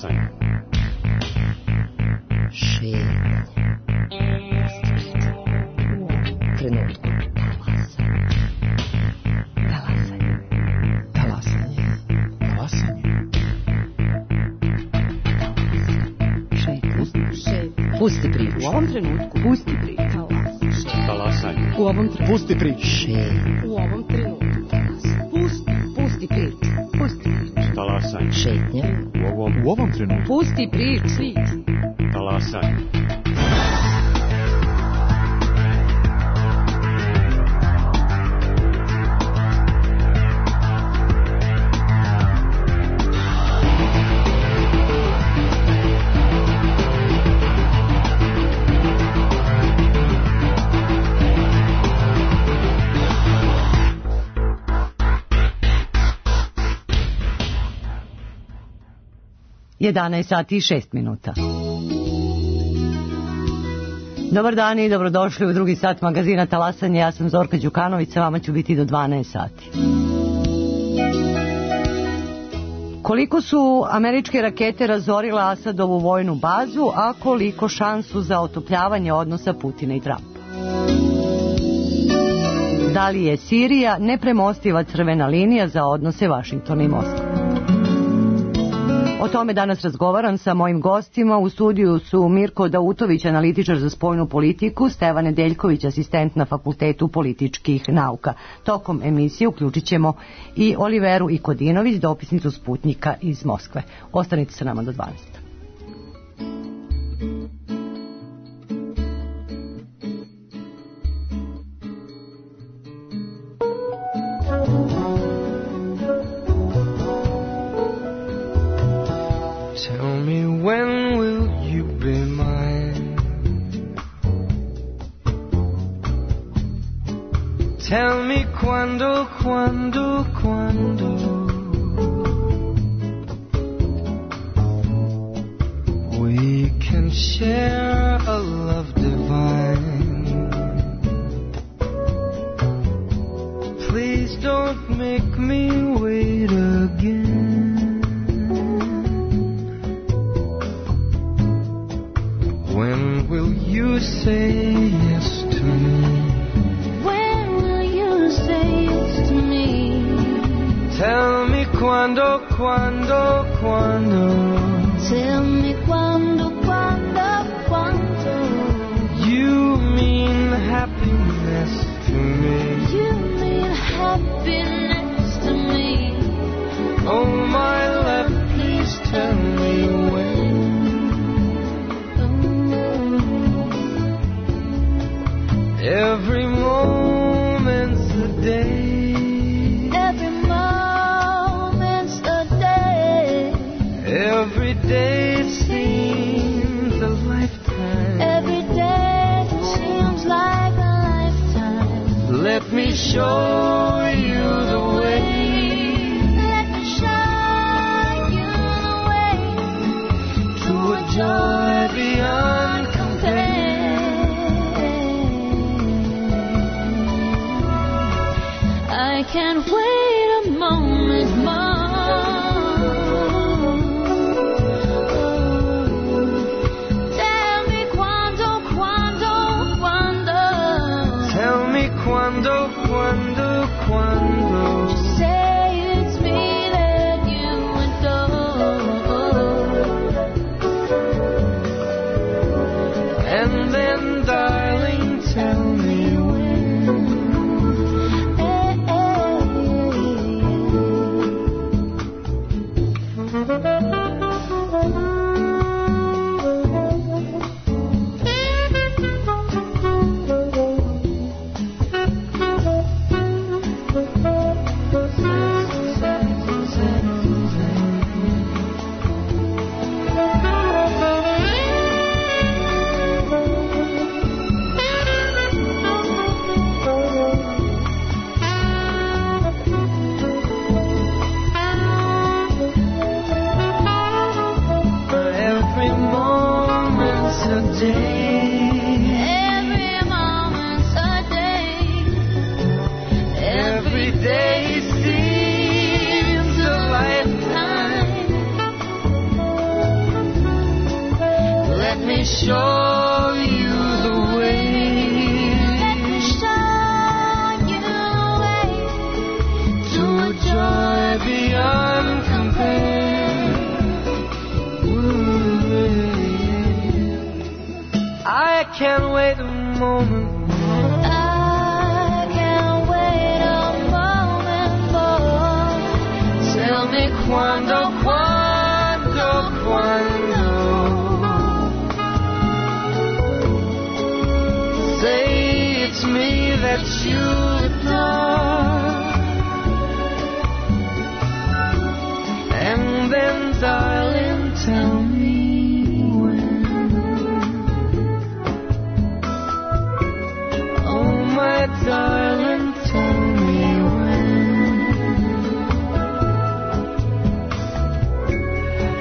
Talasanje. Šetnje. Trenutku. Talasanje. Talasanje. Talasanje. Šetnje. Pusti priču. U ovom trenutku. Pusti priču. Talasanje. U ovom trenutku. Pusti priču. Šetnje. U ovom trenutku. Pusti priču. Pusti priču. Talasanje. Šetnje. U ovom trenutku. Pusti priču. Talasanje. Jedanaest sati i 6 minuta. Dobar dan i dobrodošli u drugi sat magazina Talasanje. Ja sam Zorka Đukanović, sa vama ću biti do 12 sati. Koliko su američke rakete razorile Asadovu vojnu bazu, a koliko šansu za otopljavanje odnosa Putina i Trumpa? Da li je Sirija nepremostiva crvena linija za odnose Vašingtona i Moskve? O tome danas razgovaram sa mojim gostima. U studiju su Mirko Dautović, analitičar za spoljnu politiku, Stevan Nedeljković, asistent na Fakultetu političkih nauka. Tokom emisije uključit ćemo i Oliveru Ikodinović, dopisnicu Sputnjika iz Moskve. Ostanite sa nama do 12. Tell me quando we can share a love divine. Please don't make me wait again. When will you say yes to me? Tell me quando Tell me quando you mean happiness to me. You mean happiness to me. Oh my love, please tell me when. Every moment's a day. Every day seems a lifetime. Every day seems like a lifetime. Let me show you the way. Let me show you the way to a joy beyond compare. I can't wait a moment more. Quando show you the way. Let me show you the way To a joy beyond compare. I can't wait a moment. I can't wait a moment more. Tell me quando, quando, quando. Say it's me that you adore. And then, darling, tell me when. Oh, my darling, tell me when.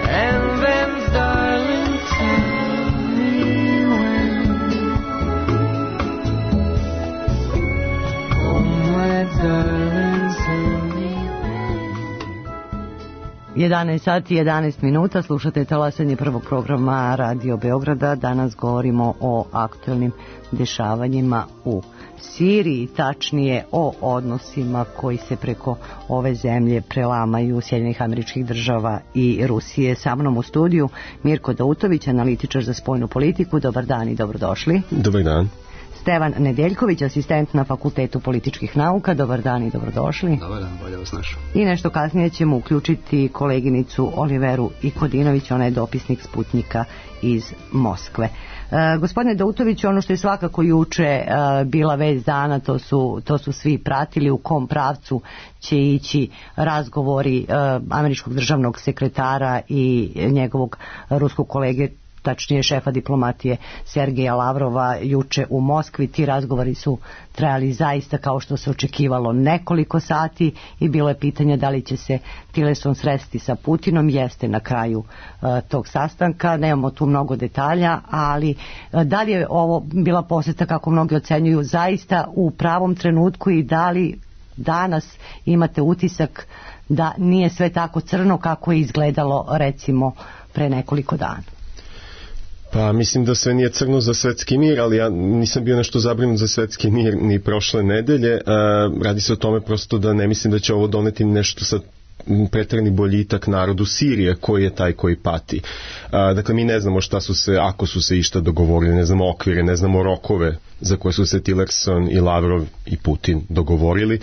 And then, darling, tell me when. Oh, my darling, tell me when. 11 sati i 11 minuta, slušate talasanje prvog programa Radio Beograda. Danas govorimo o aktualnim dešavanjima u Siriji, tačnije o odnosima koji se preko ove zemlje prelamaju Sjedinjenih Američkih Država i Rusije. Sa mnom u studiju Mirko Dautović, analitičar za spoljnu politiku. Dobar dan i dobrodošli. Dobar dan. Stevan Nedeljković, asistent na Fakultetu političkih nauka. Dobar dan i dobrodošli. Dobar dan, bolje vas našao. I nešto kasnije ćemo uključiti koleginicu Oliveru Ikodinović, ona je dopisnik Sputnjika iz Moskve. Gospodine Dautović, ono što je svakako juče bila vest dana, to su svi pratili u kom pravcu će ići razgovori američkog državnog sekretara i njegovog ruskog kolege, tačnije šefa diplomatije Sergeja Lavrova juče u Moskvi. Ti razgovori su trajali zaista kao što se očekivalo nekoliko sati i bilo je pitanje da li će se Tillerson sresti sa Putinom. Jeste na kraju tog sastanka, nemamo tu mnogo detalja, ali da li je ovo bila posjeta, kako mnogi ocenjuju, zaista u pravom trenutku i da li danas imate utisak da nije sve tako crno kako je izgledalo recimo pre nekoliko dana? Pa mislim da sve nije crno za svetski mir, ali ja nisam bio nešto zabrinut za svetski mir ni prošle nedelje. Radi se o tome prosto da ne mislim da će ovo doneti nešto sa preterani boljitak narodu Sirije, koji je taj koji pati. Dakle, mi ne znamo šta su se, ako su se išta dogovorili, ne znamo okvire, ne znamo rokove za koje su se Tillerson i Lavrov i Putin dogovorili,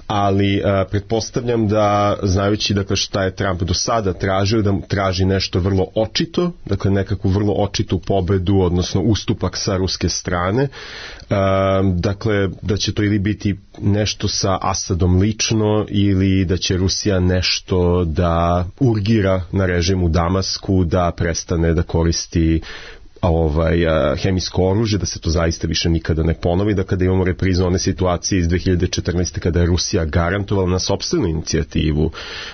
ali pretpostavljam da, znajući dakle šta je Trump do sada tražio, da traži nešto vrlo očito, dakle nekakvu vrlo očitu pobedu, odnosno ustupak sa ruske strane, dakle da će to ili biti nešto sa Asadom lično ili da će Rusija nešto da urgira na režim u Damasku, da prestane da koristi hemijsko oružje, da se to zaista više nikada ne ponovi, da kada imamo reprizu one situacije iz 2014. kada je Rusija garantovala na sopstvenu inicijativu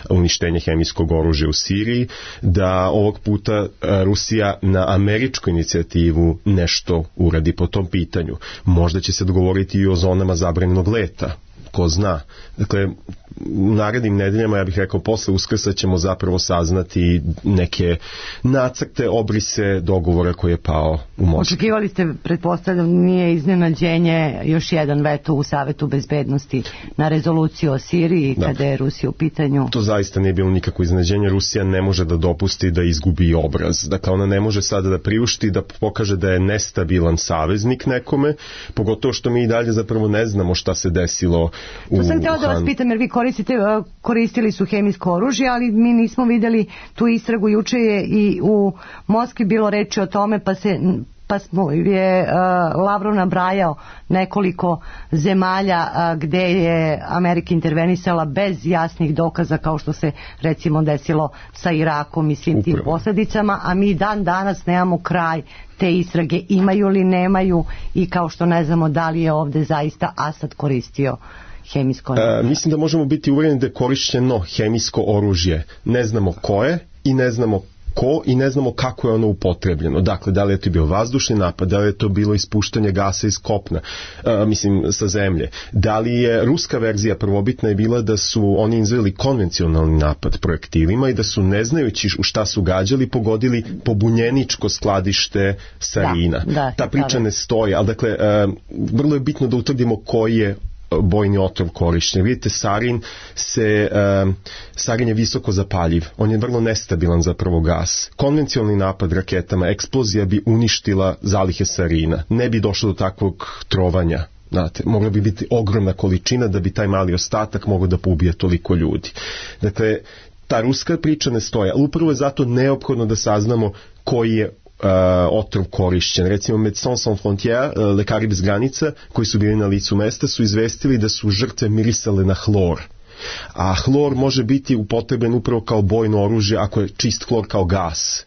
uništenje hemijskog oružja u Siriji, da ovog puta Rusija na američku inicijativu nešto uradi po tom pitanju. Možda će se dogovoriti i o zonama zabranjenog leta, ko zna. Dakle, u narednim nedeljama, ja bih rekao posle Uskrsa, ćemo zapravo saznati neke nacrte, obrise dogovora koji je pao u Moskvi. Očekivali ste, pretpostavljam, nije iznenađenje još jedan veto u Savetu bezbednosti na rezoluciju o Siriji, kada je Rusija u pitanju? To zaista nije bilo nikakvo iznenađenje. Rusija ne može da dopusti da izgubi obraz. Dakle, ona ne može sada da priušti, da pokaže da je nestabilan saveznik nekome, pogotovo što mi i dalje zapravo ne znamo šta se desilo u To sam htjela da vas pitam, jer vi koristili su hemijsko oružje, ali mi nismo vidjeli tu istragu. Juče je i u Moskvi bilo reči o tome, pa je Lavrov nabrajao nekoliko zemalja gde je Amerika intervenisala bez jasnih dokaza, kao što se recimo desilo sa Irakom i svim tim posljedicama, a mi dan danas nemamo kraj te istrage, imaju li, nemaju, i kao što ne znamo da li je ovdje zaista Asad koristio hemijsko oružje. Mislim da možemo biti uvjereni da je korišćeno hemijsko oružje. Ne znamo koje i ne znamo ko i ne znamo kako je ono upotrebljeno. Dakle, da li je to bio vazdušni napad, da li je to bilo ispuštanje gasa iz kopna, sa zemlje. Da li je ruska verzija prvobitna je bila da su oni izveli konvencionalni napad projektilima i da su, ne znajući u šta su gađali, pogodili pobunjeničko skladište sarina. Ta priča ne stoji, ali dakle, vrlo je bitno da utvrdimo koji je bojni otrov korišćen. Vidite, sarin je visoko zapaljiv. On je vrlo nestabilan zapravo gas. Konvencionalni napad raketama, eksplozija bi uništila zalihe sarina. Ne bi došlo do takvog trovanja. Znate, mogla bi biti ogromna količina da bi taj mali ostatak mogao da poubije toliko ljudi. Dakle, ta ruska priča ne stoji, ali upravo je zato neophodno da saznamo koji je otrov korišćen. Recimo Médecins Sans Frontières, lekari bez granica, koji su bili na licu mesta, su izvestili da su žrtve mirisale na hlor. A hlor može biti upotrebljen upravo kao bojno oružje ako je čist hlor kao gas.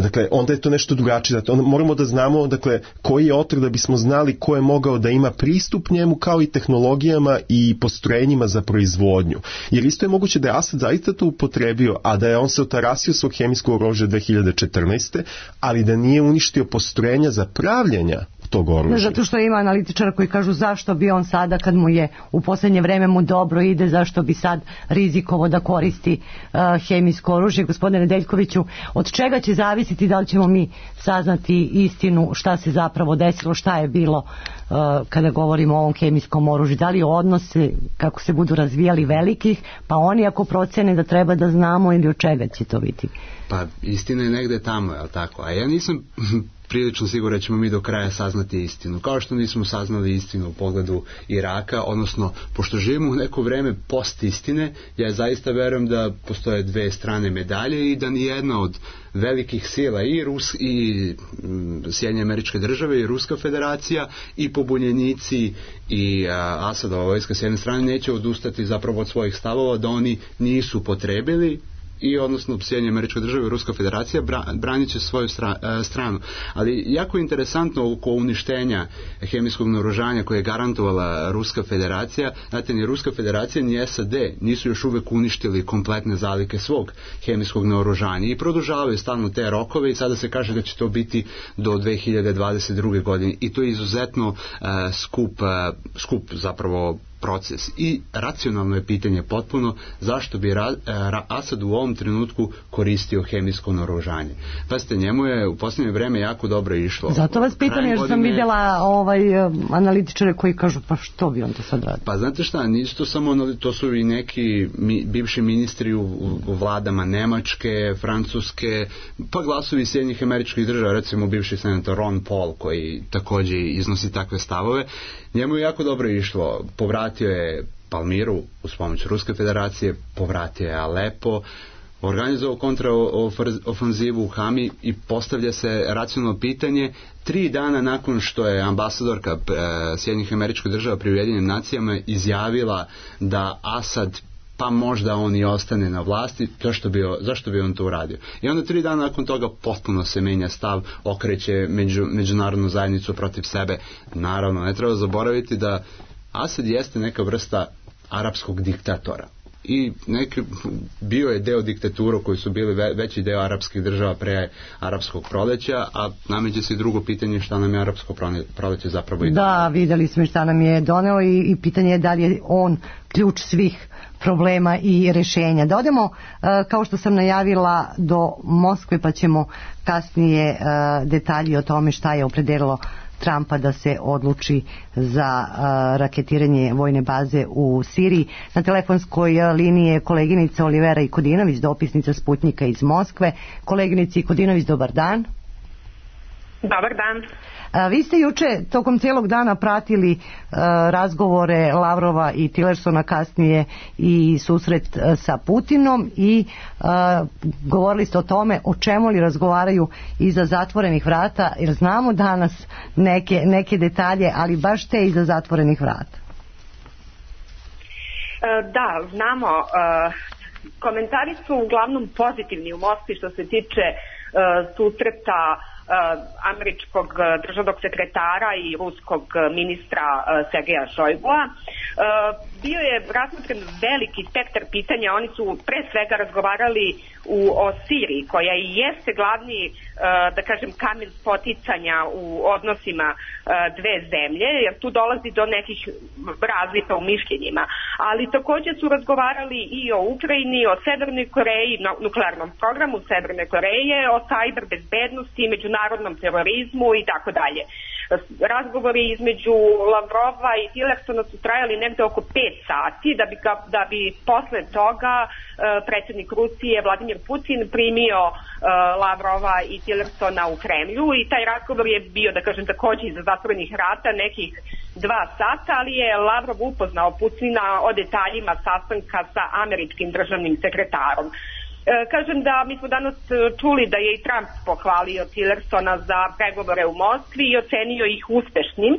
Dakle, onda je to nešto drugačije. Onda moramo da znamo, dakle, koji je otrov da bismo znali ko je mogao da ima pristup njemu, kao i tehnologijama i postrojenjima za proizvodnju. Jer isto je moguće da je Asad zaista to upotrebio, a da je on se otarasio svog hemijskog oružja 2014. ali da nije uništio postrojenja za pravljenja tog oružja. Zato što ima analitičara koji kažu zašto bi on sada, kad mu je u poslednje vreme mu dobro ide, zašto bi sad rizikovo da koristi hemijsko oružje. Gospodine Nedeljkoviću, od čega će zavisiti da li ćemo mi saznati istinu šta se zapravo desilo, šta je bilo kada govorimo o ovom hemijskom oružju? Da li odnose kako se budu razvijali velikih, pa oni ako procene da treba da znamo, ili od čega će to biti? Pa istina je negde tamo, je li tako? A ja nisam prilično siguran da ćemo mi do kraja saznati istinu. Kao što nismo saznali istinu u pogledu Iraka, odnosno, pošto živimo u neko vreme post istine, ja zaista verujem da postoje dve strane medalje i da nijedna od velikih sila i Sjedinjene Američke Države i Ruska federacija i pobunjenici i Asadova vojska s jedne strane neće odustati zapravo od svojih stavova da oni nisu potrebili i odnosno Sjedinjene Američke Države i Ruska federacija branit će svoju stranu. Ali jako je interesantno oko uništenja hemijskog naoružanja koje je garantovala Ruska federacija. Znate, ni Ruska federacija ni SAD nisu još uvek uništili kompletne zalihe svog hemijskog naoružanja i produžavaju stalno te rokove i sada se kaže da će to biti do 2022. godine i to je izuzetno skup zapravo proces. I racionalno je pitanje potpuno zašto bi Asad u ovom trenutku koristio hemijsko naoružanje. Pazite, njemu je u posljednje vreme jako dobro išlo. Zato vas pitam, jer sam vidjela analitičare koji kažu pa što bi on to sad radio? Pa znate šta, nisu to samo, to su i neki bivši ministri u vladama Nemačke, Francuske, pa glasovi Sjedinjenih Američkih Država, recimo bivši senator Ron Paul koji također iznosi takve stavove. Njemu je jako dobro išlo, povratio je Palmiru uz pomoć Ruske federacije, povratio je Alepo, organizovao kontraofanzivu u Hami i postavlja se racionalno pitanje 3 dana nakon što je ambasadorka Sjedinjenih Američkih Država pri Ujedinjenim nacijama izjavila da Asad pa možda on i ostane na vlasti, zašto bi on to uradio? I onda 3 dana nakon toga potpuno se menja stav, okreće međunarodnu zajednicu protiv sebe. Naravno, ne treba zaboraviti da Asad jeste neka vrsta arapskog diktatora. I bio je deo diktatura koji su bili veći deo arapskih država pre arapskog proleća, a nameće se i drugo pitanje šta nam je arapsko proleće zapravo i donelo. Da, videli smo šta nam je doneo i pitanje je da li je on ključ svih problema i rešenja. Da odemo, kao što sam najavila, do Moskve, pa ćemo kasnije detalji o tome šta je opredelilo Trumpa da se odluči za raketiranje vojne baze u Siriji. Na telefonskoj liniji je koleginica Olivera Ikodinović, dopisnica Sputnjika iz Moskve. Koleginici Ikodinović, dobar dan. Dobar dan. Vi ste juče tokom cijelog dana pratili razgovore Lavrova i Tillersona, kasnije i susret sa Putinom i govorili ste o tome o čemu li razgovaraju iza zatvorenih vrata, jer znamo danas neke detalje, ali baš te iza zatvorenih vrata. Da, znamo. Komentari su uglavnom pozitivni u Moskvi što se tiče susreta američkog državnog sekretara i ruskog ministra Sergeja Šojgua. Bio je razmotren veliki spektar pitanja. Oni su pre svega razgovarali o Siriji, koja i jeste glavni, da kažem, kamen spoticanja u odnosima dve zemlje, jer tu dolazi do nekih razlika u mišljenjima. Ali takođe su razgovarali i o Ukrajini, o Severnoj Koreji, nuklearnom programu Severne Koreje, o sajber bezbednosti, međunarodnom terorizmu i tako dalje. Razgovori između Lavrova i Tillersona su trajali negde oko 5 sati, da bi posle toga predsjednik Rusije Vladimir Putin primio Lavrova i Tillersona u Kremlju, i taj razgovor je bio, da kažem, takođe iza zatvorenih vrata nekih 2 sata, ali je Lavrov upoznao Putina o detaljima sastanka sa američkim državnim sekretarom. Kažem da mi smo danas čuli da je i Trump pohvalio Tillersona za pregovore u Moskvi i ocenio ih uspešnim,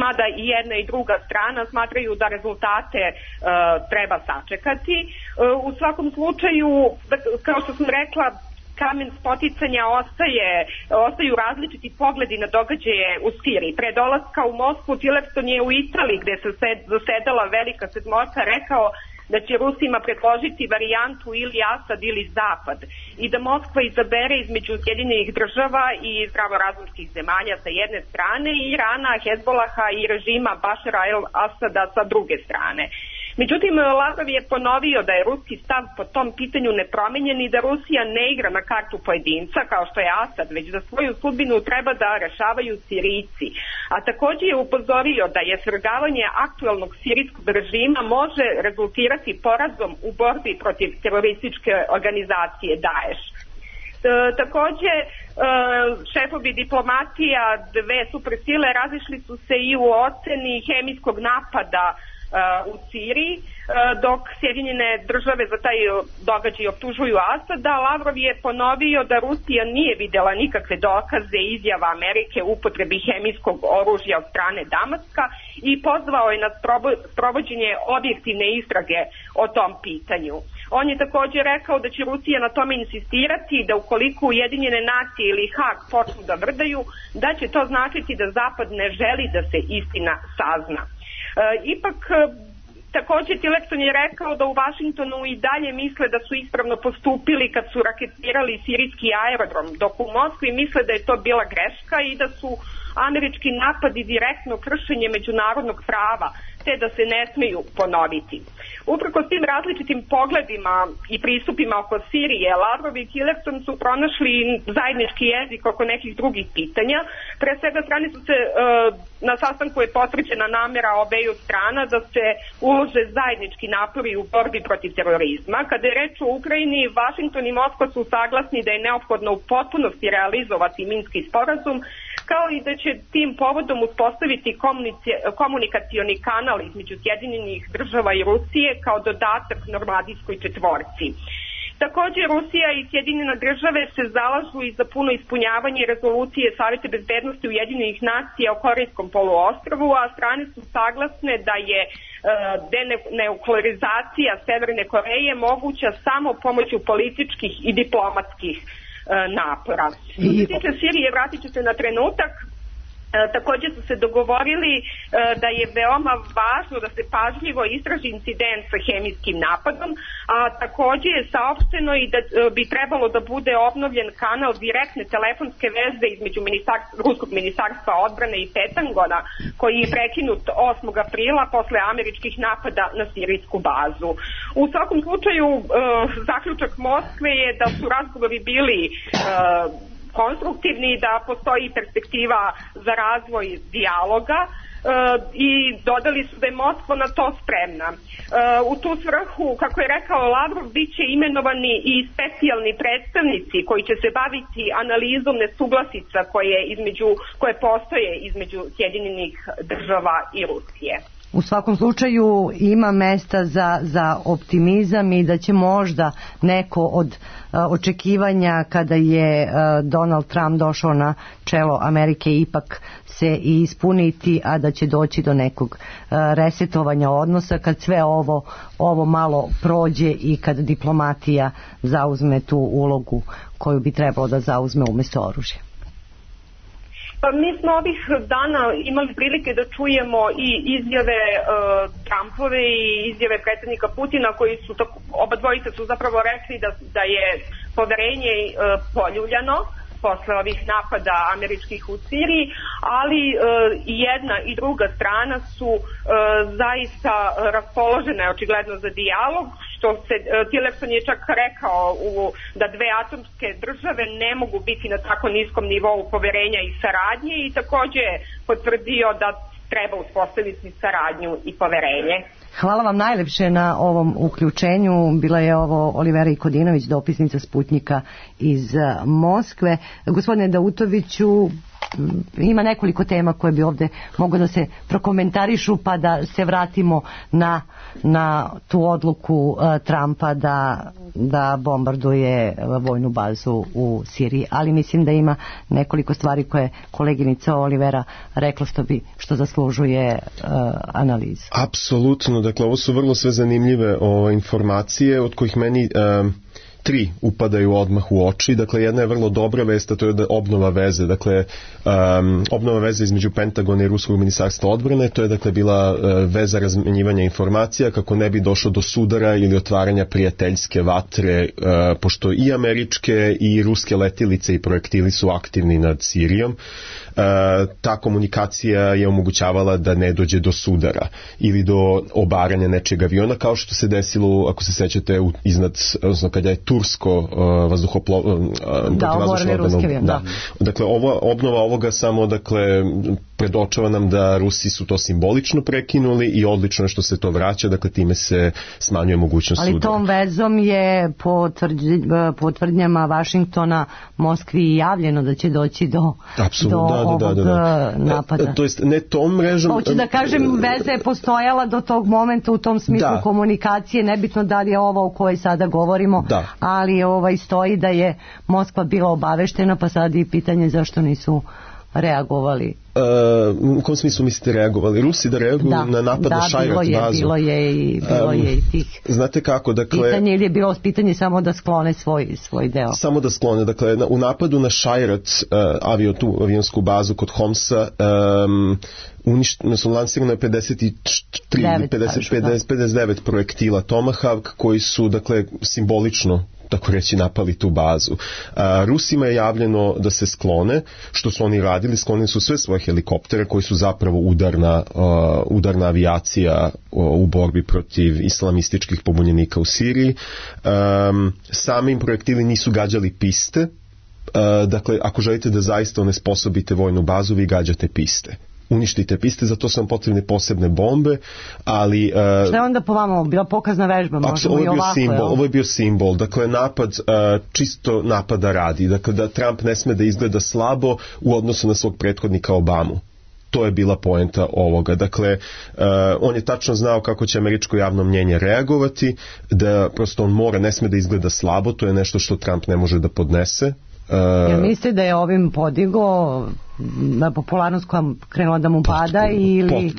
mada i jedna i druga strana smatraju da rezultate treba sačekati. U svakom slučaju, kao što sam rekla, kamen spoticanja ostaju različiti pogledi na događaje u Siriji. Pre dolaska u Moskvu Tillerson je u Italiji, gde se zasedala velika sedmorka, rekao da će Rusima predložiti varijantu ili Asad ili Zapad i da Moskva izabere između Sjedinjenih država i zdravorazumskih zemalja sa jedne strane i Irana, Hezbolaha i režima Bašara el-Asada sa druge strane. Međutim, Lavrov je ponovio da je ruski stav po tom pitanju nepromenjen i da Rusija ne igra na kartu pojedinca kao što je Asad, već da svoju sudbinu treba da rešavaju Sirijci. A takođe je upozorio da je svrgavanje aktuelnog sirijskog režima može rezultirati porazom u borbi protiv terorističke organizacije Daesh. Takođe, šefovi diplomatija dve supersile razišli su se i u oceni hemijskog napada u Siriji, dok Sjedinjene države za taj događaj optužuju Asada. Lavrov je ponovio da Rusija nije videla nikakve dokaze izjava Amerike u upotrebi hemijskog oružja od strane Damaska i pozvao je na sprovođenje objektivne istrage o tom pitanju. On je takođe rekao da će Rusija na tome insistirati, da ukoliko Ujedinjene nacije ili Hag počnu da vrdaju, da će to značiti da Zapad ne želi da se istina sazna. Ipak, takođe Tillerson je rekao da u Vašingtonu i dalje misle da su ispravno postupili kad su raketirali sirijski aerodrom, dok u Moskvi misle da je to bila greška i da su američki napadi direktno kršenje međunarodnog prava, te da se ne smeju ponoviti. Uprkos tim različitim pogledima i pristupima oko Sirije, Lavrov i Tillerson su pronašli zajednički jezik oko nekih drugih pitanja. Pre svega strane su se, na sastanku je potvrđena namera obeju strana da se ulože zajednički napori u borbi protiv terorizma. Kada je reč o Ukrajini, Vašington i Moskva su saglasni da je neophodno u potpunosti realizovati Minski sporazum, kao i da će tim povodom uspostaviti komunikacioni kanal između Sjedinjenih država i Rusije kao dodatak Normandijskoj četvorci. Takođe, Rusija i Sjedinjene države se zalažu i za puno ispunjavanje rezolucije Saveta bezbednosti Ujedinjenih nacija o Korejskom poluostrvu, a strane su saglasne da je denuklearizacija Severne Koreje moguća samo pomoću političkih i diplomatskih napora. Što se tiče Sirije, vratit ću se na trenutak. Takođe su se dogovorili da je veoma važno da se pažljivo istraži incident sa hemijskim napadom, a takođe je saopšteno i da bi trebalo da bude obnovljen kanal direktne telefonske veze između Ruskog ministarstva odbrane i Pentagona, koji je prekinut 8. aprila posle američkih napada na sirijsku bazu. U svakom slučaju, zaključak Moskve je da su razgovori bili konstruktivni, da postoji perspektiva za razvoj dijaloga i dodali su da je Moskva na to spremna. U tu svrhu, kako je rekao Lavrov, bit će imenovani i specijalni predstavnici koji će se baviti analizom nesuglasica koje postoje između Sjedinjenih država i Rusije. U svakom slučaju ima mesta za optimizam i da će možda neko od očekivanja kada je Donald Trump došao na čelo Amerike ipak se i ispuniti, a da će doći do nekog resetovanja odnosa kad sve ovo malo prođe i kad diplomatija zauzme tu ulogu koju bi trebalo da zauzme umjesto oružja. Mi smo ovih dana imali prilike da čujemo i izjave Trumpove i izjave predsjednika Putina, koji su oba dvojica su zapravo rekli da je poverenje poljuljano posle ovih napada američkih u Siriji, ali jedna i druga strana su zaista raspoložene očigledno za dijalog, što se Tillerson je čak rekao da dve atomske države ne mogu biti na tako niskom nivou poverenja i saradnje, i takođe je potvrdio da treba uspostaviti saradnju i poverenje. Hvala vam najlepše na ovom uključenju. Bila je ovo Olivera Ikodinović, dopisnica Sputnjika iz Moskve. Gospodine Dautoviću, ima nekoliko tema koje bi ovde mogo da se prokomentarišu, pa da se vratimo na tu odluku Trumpa da bombarduje vojnu bazu u Siriji. Ali mislim da ima nekoliko stvari koje koleginica Olivera rekla što zaslužuje analizu. Apsolutno, dakle ovo su vrlo sve zanimljive informacije od kojih meni tri upadaju odmah u oči. Dakle, jedna je vrlo dobra vest, a to je da obnova veze. Dakle, obnova veze između Pentagona i Ruskog ministarstva odbrane, to je dakle bila veza razmenjivanja informacija kako ne bi došlo do sudara ili otvaranja prijateljske vatre, pošto i američke i ruske letilice i projektili su aktivni nad Sirijom. Ta komunikacija je omogućavala da ne dođe do sudara ili do obaranja nečeg aviona, kao što se desilo, ako se sećate, iznad, odnosno kada je tursko vazduhoplovno ruski avion, da. Dakle, obnova ovoga samo, dakle, predočava nam da Rusi su to simbolično prekinuli i odlično je što se to vraća, dakle time se smanjuje mogućnost sudara. Ali tom vezom je po tvrdnjama Vašingtona Moskvi javljeno da će doći do ovog napada. To jest, ne tom mrežom... Hoću da kažem, veza je postojala do tog momenta u tom smislu komunikacije, nebitno da li je ova o kojoj sada govorimo, ali stoji da je Moskva bila obaveštena, pa sad i pitanje zašto nisu reagovali. U kom smislu mislite reagovali? Rusi da reaguju na napad na Šajrat bazu? Bilo je i tih. Znate kako, dakle... Pitanje ili je bilo pitanje samo da sklone svoj deo? Samo da sklone, dakle, u napadu na Šajrat, avionsku bazu kod Homsa, lansirano je 59 projektila Tomahawk koji su, dakle, simbolično tako reći napali tu bazu. Rusima je javljeno da se sklone, što su oni radili, sklonili su sve svoje helikoptere koji su zapravo udarna avijacija u borbi protiv islamističkih pobunjenika u Siriji. Sami projektili nisu gađali piste, dakle ako želite da zaista onesposobite vojnu bazu, vi gađate piste. Uništite piste, za to su vam potrebne posebne bombe, ali... Šta je onda po vama bila pokazna vežba? Ovo je bio simbol, dakle napad, čisto napada radi, dakle da Trump ne sme da izgleda slabo u odnosu na svog prethodnika Obamu. To je bila poenta ovoga. Dakle, on je tačno znao kako će američko javno mnjenje reagovati, da prosto on ne sme da izgleda slabo, to je nešto što Trump ne može da podnese. Jel mislite da je ovim podigao na popularnost koja krenula da mu pada ili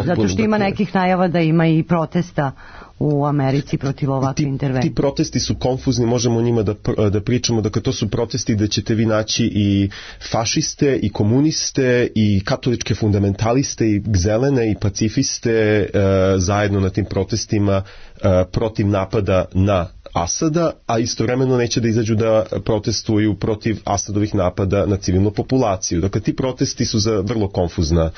zato što ima nekih najava da ima i protesta u Americi protiv ovakve intervencije? Ti protesti su konfuzni, možemo o njima da pričamo, dakle to su protesti da ćete vi naći i fašiste i komuniste i katoličke fundamentaliste i zelene i pacifiste zajedno na tim protestima protiv napada na Asada, a istovremeno neće da izađu da protestuju protiv Asadovih napada na civilnu populaciju. Dakle, ti protesti su za vrlo konfuzna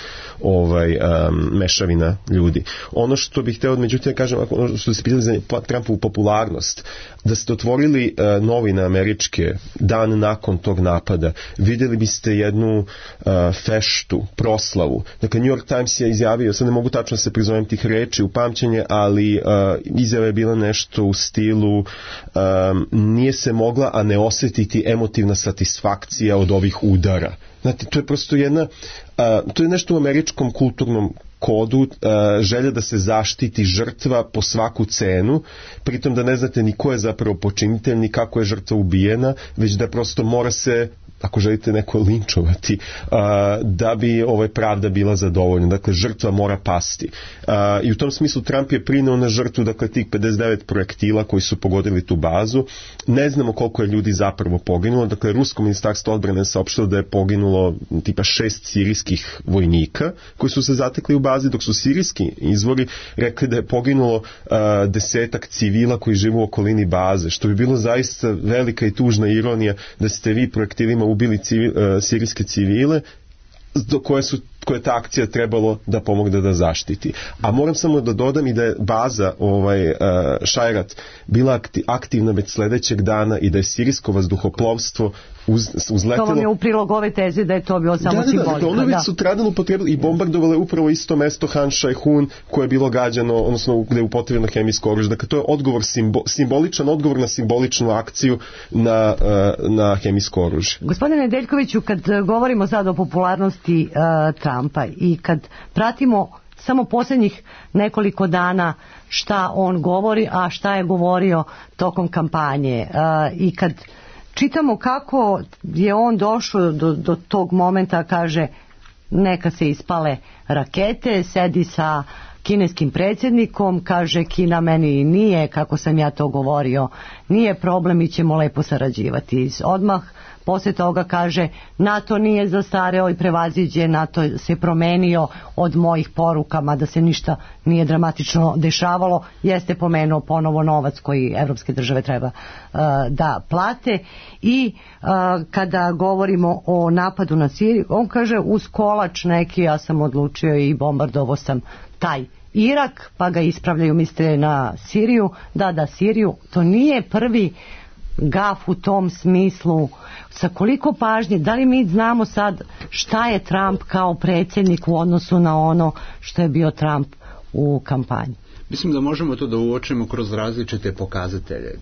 mešavina ljudi. Ono što bih hteo, međutim, kažem, ono što se pitali za Trumpovu popularnost, da ste otvorili novine američke dan nakon tog napada, vidjeli biste jednu feštu, proslavu. Dakle, New York Times je izjavio, sad ne mogu tačno se prizovem tih reči u pamćenje, ali izjava je bila nešto u stilu nije se mogla, a ne osjetiti emotivna satisfakcija od ovih udara. Znate, to je prosto to je nešto u američkom kulturnom kodu, želja da se zaštiti žrtva po svaku cenu, pritom da ne znate ni ko je zapravo počinitelj, ni kako je žrtva ubijena, već da prosto mora se ako želite neko linčovati, da bi pravda bila zadovoljna. Dakle, žrtva mora pasti. I u tom smislu Trump je prineo na žrtvu, dakle, tih 59 projektila koji su pogodili tu bazu. Ne znamo koliko je ljudi zapravo poginulo. Dakle, Rusko ministarstvo odbrane saopštilo da je poginulo tipa 6 sirijskih vojnika koji su se zatekli u bazi, dok su sirijski izvori rekli da je poginulo 10 civila koji žive u okolini baze, što bi bilo zaista velika i tužna ironija da ste vi projektilima ubili sirijske civile koje ta akcija trebalo da pomogne da zaštiti. A moram samo da dodam i da je baza Šajrat bila aktivna već sledećeg dana i da je sirijsko vazduhoplovstvo uzletelo... To vam je u prilog ove teze da je to bio samo simbolika. Ono već sutradan upotrebili i bombardovale upravo isto mesto Han Šajhun koje je bilo gađano, odnosno gde je upotrebljeno hemijsko oružje. Dakle, to je odgovor, simboličan odgovor na simboličnu akciju na hemijsko oružje. Gospodine Nedeljkoviću, kad govorimo sad o popularnosti Trumpa i kad pratimo samo posljednjih nekoliko dana šta on govori, a šta je govorio tokom kampanje, i kad čitamo kako je on došao do tog momenta, kaže neka se ispale rakete, sedi sa kineskim predsjednikom, kaže Kina meni nije, kako sam ja to govorio, nije problem, mi ćemo lepo sarađivati. Odmah poslije toga kaže NATO nije zastareo i prevaziđen, NATO se promenio od mojih poruka, mada se ništa nije dramatično dešavalo, jeste pomenuo ponovo novac koji evropske države treba da plate. I kada govorimo o napadu na Siriju, on kaže uz kolač neki ja sam odlučio i bombardovao sam taj Irak, pa ga ispravljaju, misle na Siriju. Da, Siriju, to nije prvi gaf u tom smislu. Sa koliko pažnje, da li mi znamo sad šta je Trump kao predsjednik u odnosu na ono što je bio Trump u kampanji? Mislim da možemo to da uočimo kroz različite pokazatelje.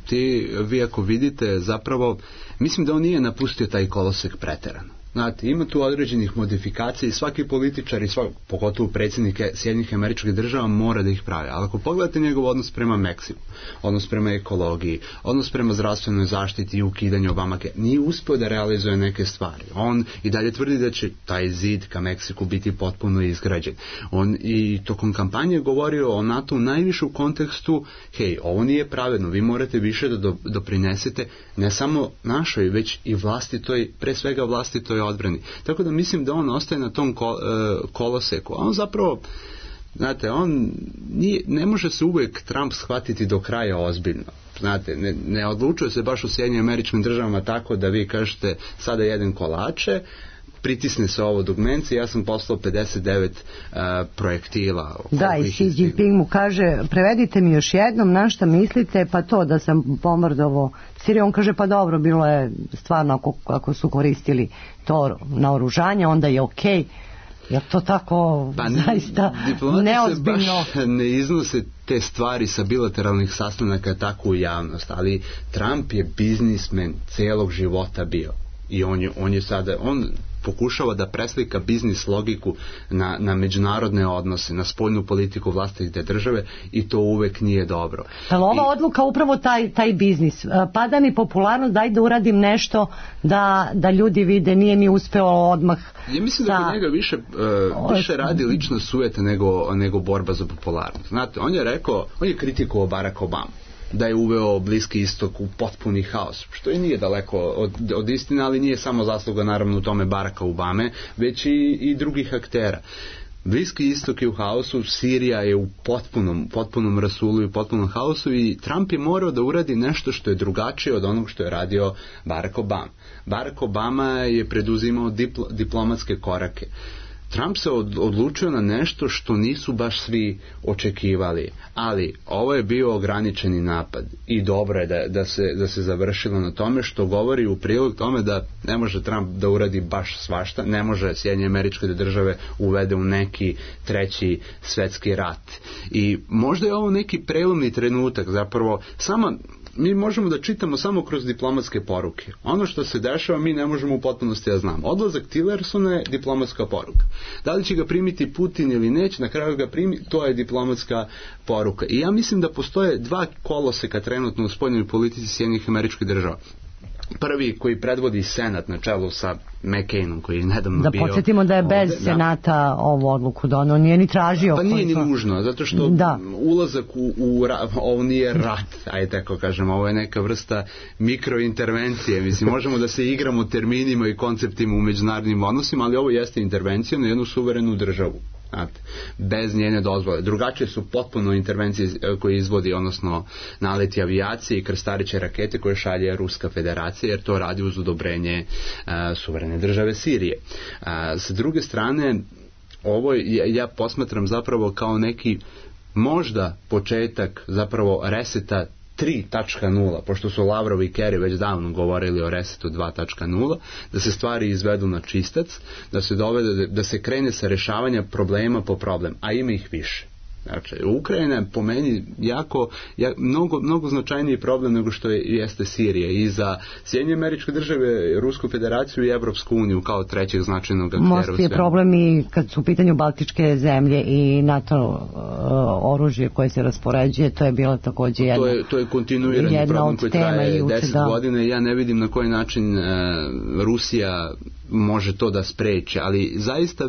Vi ako vidite, zapravo, mislim da on nije napustio taj kolosek preterano. Znate, ima tu određenih modifikacija i svaki političar i pogotovo predsjednike Sjedinjenih Američkih Država mora da ih pravi. Ali ako pogledate njegov odnos prema Meksiku, odnos prema ekologiji, odnos prema zdravstvenoj zaštiti i ukidanju Obamake, nije uspio da realizuje neke stvari. On i dalje tvrdi da će taj zid ka Meksiku biti potpuno izgrađen. On i tokom kampanje govorio o NATO najviše u kontekstu, hej, ovo nije pravedno, vi morate više da doprinesete ne samo našoj, već i vlastitoj, pre svega vlastitoj odbrani. Tako da mislim da on ostaje na tom koloseku. A on zapravo, znate, on ne može se uvijek Trump shvatiti do kraja ozbiljno. Znate, ne odlučuje se baš u Sjedinjenim Američkim Državama tako da vi kažete sada jedem kolače, pritisne se ovo dugmence, ja sam poslao 59 projektila. Da, i Xi Jinping mu kaže, prevedite mi još jednom na šta mislite, pa to da sam bombardovao Siriju. On kaže, pa dobro, bilo je stvarno ako su koristili to naoružanje, onda je okej. Jer to tako zaista neozbiljno. Baš ne iznose te stvari sa bilateralnih sastanaka tako u javnost, ali Trump je biznismen celog života bio. I on je sada, on pokušava da preslika biznis logiku na međunarodne odnose, na spoljnu politiku vlastite države i to uvek nije dobro. Ali ova odluka upravo taj biznis. Pada mi popularnost, daj da uradim nešto da ljudi vide, nije mi uspeo odmah. Ja mislim da kod njega više radi lična sujeta nego borba za popularnost. Znate, on je kritikovao Barack Obama, da je uveo Bliski istok u potpuni haos, što i nije daleko od istine, ali nije samo zasluga naravno u tome Baracka Obame, već i drugih aktera. Bliski istok je u haosu, Sirija je u potpunom rasulu i u potpunom haosu i Trump je morao da uradi nešto što je drugačije od onog što je radio Barack Obama. Barack Obama je preduzimao diplomatske korake. Trump se odlučio na nešto što nisu baš svi očekivali, ali ovo je bio ograničeni napad i dobro je da se završilo na tome, što govori u prilog tome da ne može Trump da uradi baš svašta, ne može Sjedinjene Američke Države uvede u neki treći svetski rat. I možda je ovo neki prelomni trenutak, zapravo mi možemo da čitamo samo kroz diplomatske poruke. Ono što se dešava mi ne možemo u potpunosti da znamo. Odlazak Tillersona je diplomatska poruka. Da li će ga primiti Putin ili neće, na kraju ga primi, to je diplomatska poruka. I ja mislim da postoje dva koloseka trenutno u spoljnoj politici Sjedinjenih Američkih Država. prvi koji predvodi Senat na čelu sa McCainom koji je nedavno bio... Da podsjetimo da je bez ovde, Senata ovu odluku donao, nije ni tražio. Pa nije ni nužno, zato što ulazak ovo nije rat, ajde tako kažem, ovo je neka vrsta mikrointervencije, mislim, možemo da se igramo terminima i konceptima u međunarodnim odnosima, ali ovo jeste intervencija na jednu suverenu državu. Znate, bez njene dozvole. Drugačije su potpuno intervencije koje izvodi, odnosno naleti avijacije i krstariće rakete koje šalje Ruska federacija, jer to radi uz odobrenje suverene države Sirije. Sa druge strane, ovo ja posmatram zapravo kao neki možda početak zapravo reseta 3.0, pošto su Lavrov i Kerry već davno govorili o resetu 2.0, da se stvari izvedu na čistac, da se dovede, da se krene sa rešavanja problema po problem, a ima ih više. Znači, Ukrajina je po meni mnogo značajniji problem nego što jeste Sirija i za Sjedinjene Američke Države, Rusku federaciju i Evropsku uniju kao trećeg značajnog aktera. Most je problem i kad su u pitanju Baltičke zemlje i NATO oružje koje se raspoređuje, to je bilo takođe to je kontinuirani problem koji traje 10 godina i ja ne vidim na koji način Rusija može to da spreči, ali zaista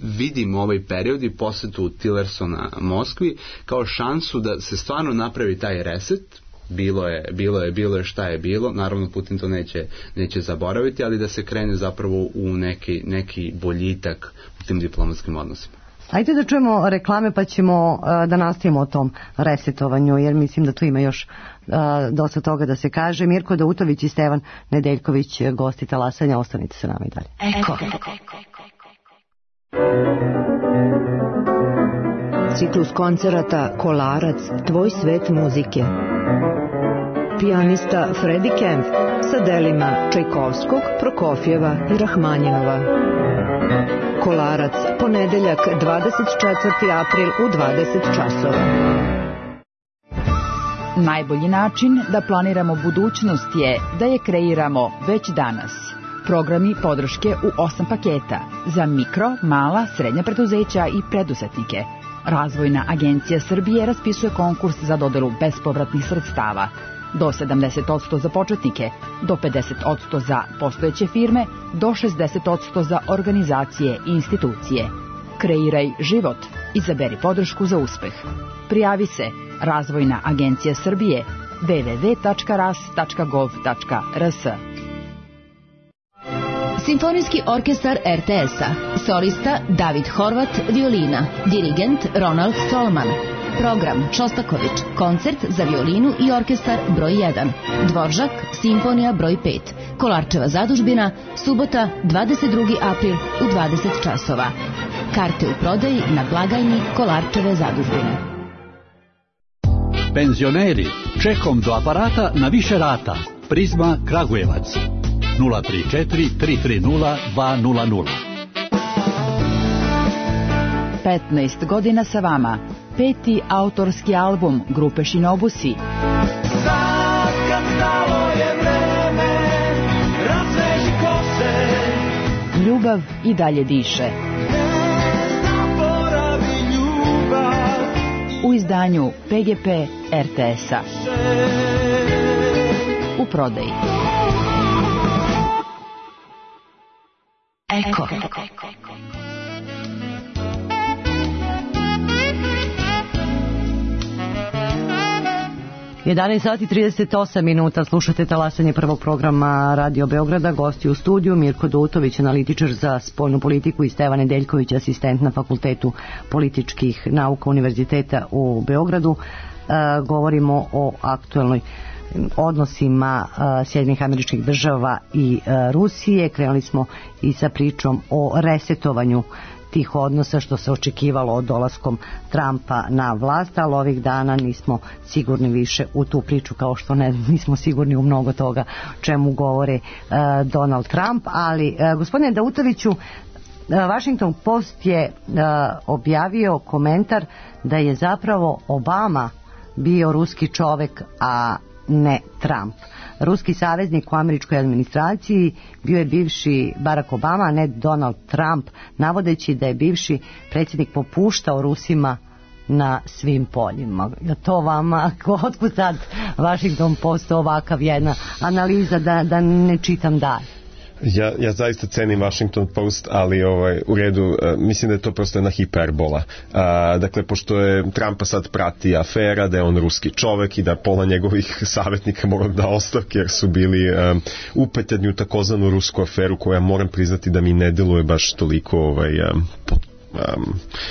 vidim ovaj period i posetu Tillersona Moskvi kao šansu da se stvarno napravi taj reset. Bilo je šta je bilo, naravno Putin to neće zaboraviti, ali da se krene zapravo u neki boljitak u tim diplomatskim odnosima. Ajde da čujemo reklame pa ćemo da nastavimo o tom resetovanju, jer mislim da tu ima još dosta toga da se kaže. Mirko Dautović i Stevan Nedeljković, gosti Talasanja, ostanite sa nama i dalje. Eko. Ciklus koncerata Kolarac, tvoj svet muzike. Pijanista Freddie Kemp sa delima Čajkovskog, Prokofjeva i Rahmanjinova. Kolarac, ponedeljak 24. april u 20 časova. Najbolji način da planiramo budućnost je da je kreiramo već danas. Programi podrške u 8 paketa za mikro, mala, srednja preduzeća i preduzetnike. Razvojna agencija Srbije raspisuje konkurs za dodelu bespovratnih sredstava. Do 70% za početnike, do 50% za postojeće firme, do 60% za organizacije i institucije. Kreiraj život. Izaberi podršku za uspeh. Prijavi se Razvojna agencija Srbije www.ras.gov.rs. Simfonijski orkestar RTS-a. Solista David Horvat, violina. Dirigent Ronald Solman. Program Šostaković, koncert za violinu i orkestar broj 1. Dvoržak, simfonija broj 5. Kolarčeva zadužbina, subota 22. april u 20 časova. Karte u prodaji na blagajni Kolarčeve zadužbine. Penzioneri, čekom do aparata na više rata. Prizma Kragujevac 034 330 200. 15 godina sa vama. 5. autorski album grupe Shinobusi. Sad kad stalo je vreme, razveži kose. Ljubav i dalje diše. Ne zaboravi ljubav. U izdanju PGP RTS-a. U prodaji. Eko. 11 sati 38 minuta, slušate Talasanje prvog programa Radio Beograda. Gosti u studiju Mirko Dautović, analitičar za spoljnu politiku, i Stevan Nedeljković, asistent na Fakultetu političkih nauka Univerziteta u Beogradu. Govorimo o aktuelnoj odnosima Sjedinjenih Američkih Država i Rusije. Krenuli smo i sa pričom o resetovanju tih odnosa što se očekivalo od dolaskom Trumpa na vlast, ali ovih dana nismo sigurni više u tu priču, kao što nismo sigurni u mnogo toga čemu govore Donald Trump. Ali gospodine Dautoviću, Washington Post je objavio komentar da je zapravo Obama bio ruski čovek, a ne Trump. Ruski saveznik u američkoj administraciji bio je bivši Barack Obama, a ne Donald Trump, navodeći da je bivši predsjednik popuštao Rusima na svim poljima. To vama, otkud sad Washington Post ovakav jedna analiza da ne čitam dalje? Ja zaista cenim Washington Post, ali u redu, mislim da je to prosto jedna hiperbola. Dakle, pošto je Trumpa sad prati afera, da je on ruski čovek i da pola njegovih savjetnika mora da ostavke jer su bili upetljeni u takozvanu rusku aferu koja, moram priznati, da mi ne deluje baš toliko